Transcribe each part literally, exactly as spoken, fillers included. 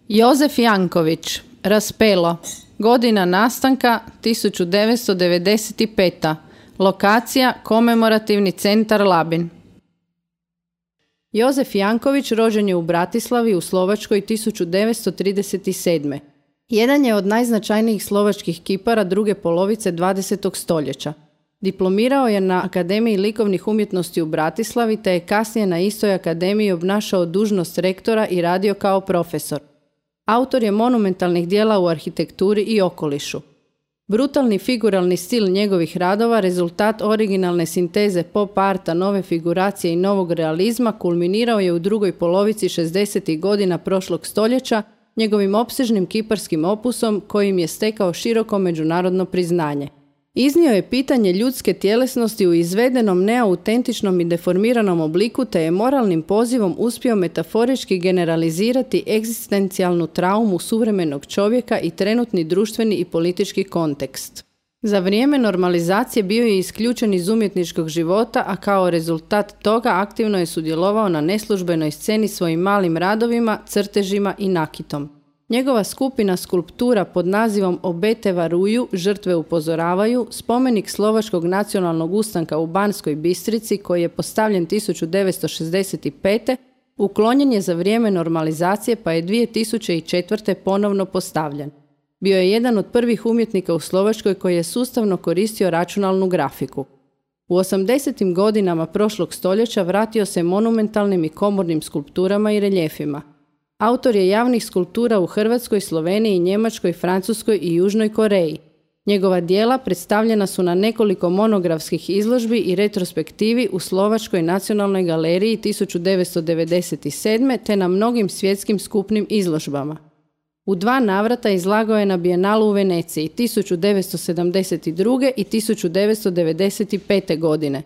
Jozef Janković, Raspelo, godina nastanka tisuću devetsto devedeset peta. Lokacija Komemorativni centar Labin. Jozef Janković rođen je u Bratislavi u Slovačkoj tisuću devetsto trideset sedme. Jedan je od najznačajnijih slovačkih kipara druge polovice dvadesetog stoljeća. Diplomirao je na Akademiji likovnih umjetnosti u Bratislavi te je kasnije na istoj akademiji obnašao dužnost rektora i radio kao profesor. Autor je monumentalnih dijela u arhitekturi i okolišu. Brutalni figuralni stil njegovih radova, rezultat originalne sinteze pop arta, nove figuracije i novog realizma, kulminirao je u drugoj polovici šezdesetih godina prošlog stoljeća njegovim opsežnim kiparskim opusom kojim je stekao široko međunarodno priznanje. Iznio je pitanje ljudske tjelesnosti u izvedenom, neautentičnom i deformiranom obliku te je moralnim pozivom uspio metaforički generalizirati egzistencijalnu traumu suvremenog čovjeka i trenutni društveni i politički kontekst. Za vrijeme normalizacije bio je isključen iz umjetničkog života, a kao rezultat toga aktivno je sudjelovao na neslužbenoj sceni svojim malim radovima, crtežima i nakitom. Njegova skupina skulptura pod nazivom Obete varuju, žrtve upozoravaju, spomenik Slovačkog nacionalnog ustanka u Banskoj Bistrici koji je postavljen tisuću devetsto šezdeset pete. uklonjen je za vrijeme normalizacije pa je dvije tisuće četvrte. ponovno postavljen. Bio je jedan od prvih umjetnika u Slovačkoj koji je sustavno koristio računalnu grafiku. U osamdesetim godinama prošlog stoljeća vratio se monumentalnim i komornim skulpturama i reljefima. Autor je javnih skulptura u Hrvatskoj, Sloveniji, Njemačkoj, Francuskoj i Južnoj Koreji. Njegova djela predstavljena su na nekoliko monografskih izložbi i retrospektivi u Slovačkoj nacionalnoj galeriji tisuću devetsto devedeset sedme. te na mnogim svjetskim skupnim izložbama. U dva navrata izlagao je na Bijenalu u Veneciji tisuću devetsto sedamdeset druge. i tisuću devetsto devedeset pete. godine.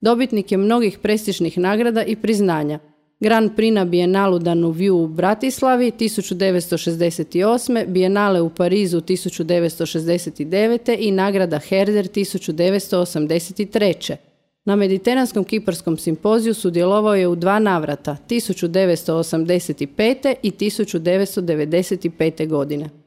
Dobitnik je mnogih prestižnih nagrada i priznanja. Grand Prix na Bijenalu Danuviu u Bratislavi tisuću devetsto šezdeset osme. Bijenale u Parizu tisuću devetsto šezdeset devete. i nagrada Herder tisuću devetsto osamdeset treće. Na Mediteranskom kiparskom simpoziju sudjelovao je u dva navrata tisuću devetsto osamdeset pete. i tisuću devetsto devedeset pete. godine.